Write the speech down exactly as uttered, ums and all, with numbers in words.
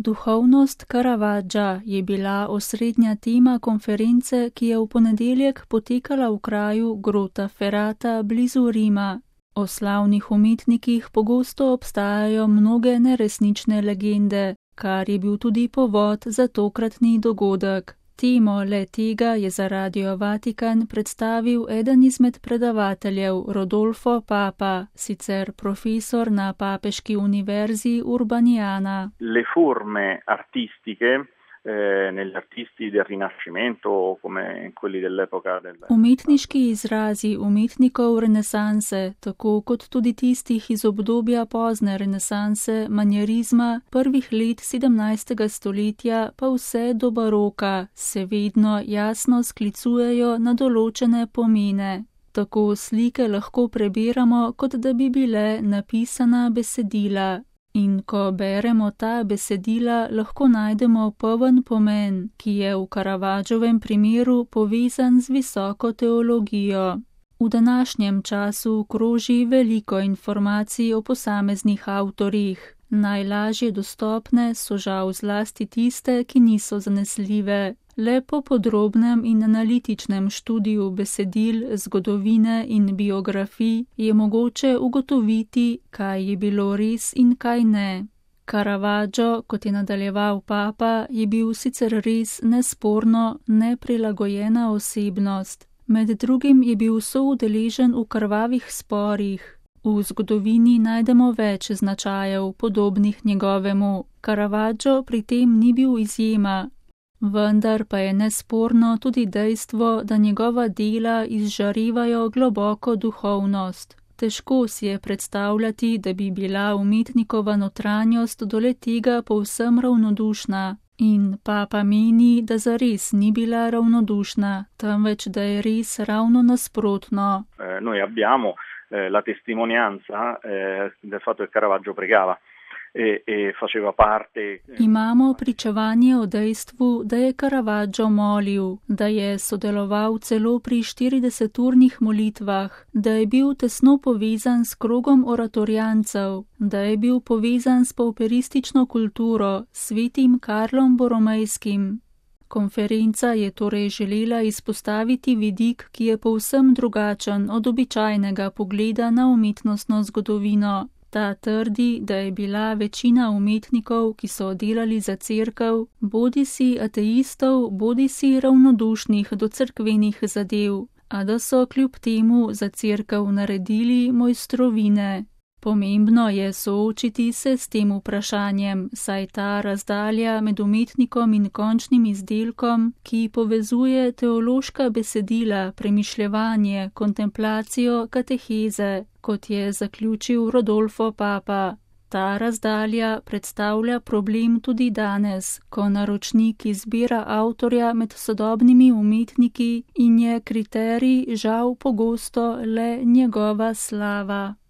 Duhovnost Caravaggia je bila osrednja tema konference, ki je v ponedeljek potekala v kraju Grottaferrata blizu Rima. O slavnih umetnikih pogosto obstajajo mnoge neresnične legende, kar je bil tudi povod za tokratni dogodek. Temo le tega je za Radio Vatikan predstavil eden izmed predavateljev Rodolfo Papa, sicer profesor na Papeški univerzi Urbaniana. Le forme artistiche eh, negli artisti del Rinascimento come quelli dell'epoca del... Umetniški izrazi umetnikov renesanse, tako kot tudi tistih iz obdobja pozne renesanse, manjerizma, prvih let sedemnajstega stoletja pa vse do baroka, se vedno jasno sklicujejo na določene pomene. Tako slike lahko prebiramo, kot da bi bile napisana besedila. In ko beremo ta besedila, lahko najdemo poln pomen, ki je v Caravaggiovem primeru povezan z visoko teologijo. V današnjem času kroži veliko informacij o posameznih avtorjih. Najlažje dostopne so žal zlasti tiste, ki niso zanesljive. Le po podrobnem in analitičnem študiju besedil, zgodovine in biografij je mogoče ugotoviti, kaj je bilo res in kaj ne. Caravaggio, kot je nadaljeval Papa, je bil sicer res nesporno neprilagojena osebnost. Med drugim je bil soudeležen v krvavih sporih. V zgodovini najdemo več značajev, podobnih njegovemu. Caravaggio pri tem ni bil izjema. Vendar pa je nesporno tudi dejstvo, da njegova dela izžarevajo globoko duhovnost. Težko si je predstavljati, da bi bila umetnikova notranjost do le tega povsem ravnodušna. In Papa meni, da zares ni bila ravnodušna, temveč da je res ravno nasprotno. Eh, noi abbiamo eh, la testimonianza eh, del fatto che Caravaggio pregava. E, e faceva parte... Imamo pričevanje o dejstvu, da je Caravaggio molil, da je sodeloval celo pri štirideseturnih molitvah, da je bil tesno povezan s krogom oratorijancev, da je bil povezan s pauperistično kulturo, svetim Karlom Boromejskim. Konferenca je torej želela izpostaviti vidik, ki je povsem drugačen od običajnega pogleda na umetnostno zgodovino. Ta trdi, da je bila večina umetnikov, ki so delali za cerkev, bodisi ateistov, bodisi ravnodušnih do cerkvenih zadev, a da so kljub temu za cerkev naredili mojstrovine. Pomembno je soočiti se s tem vprašanjem, saj ta razdalja med umetnikom in končnim izdelkom, ki povezuje teološka besedila, premišljevanje, kontemplacijo, kateheze, kot je zaključil Rodolfo Papa. Ta razdalja predstavlja problem tudi danes, ko naročnik izbira avtorja med sodobnimi umetniki in je kriterij žal pogosto le njegova slava.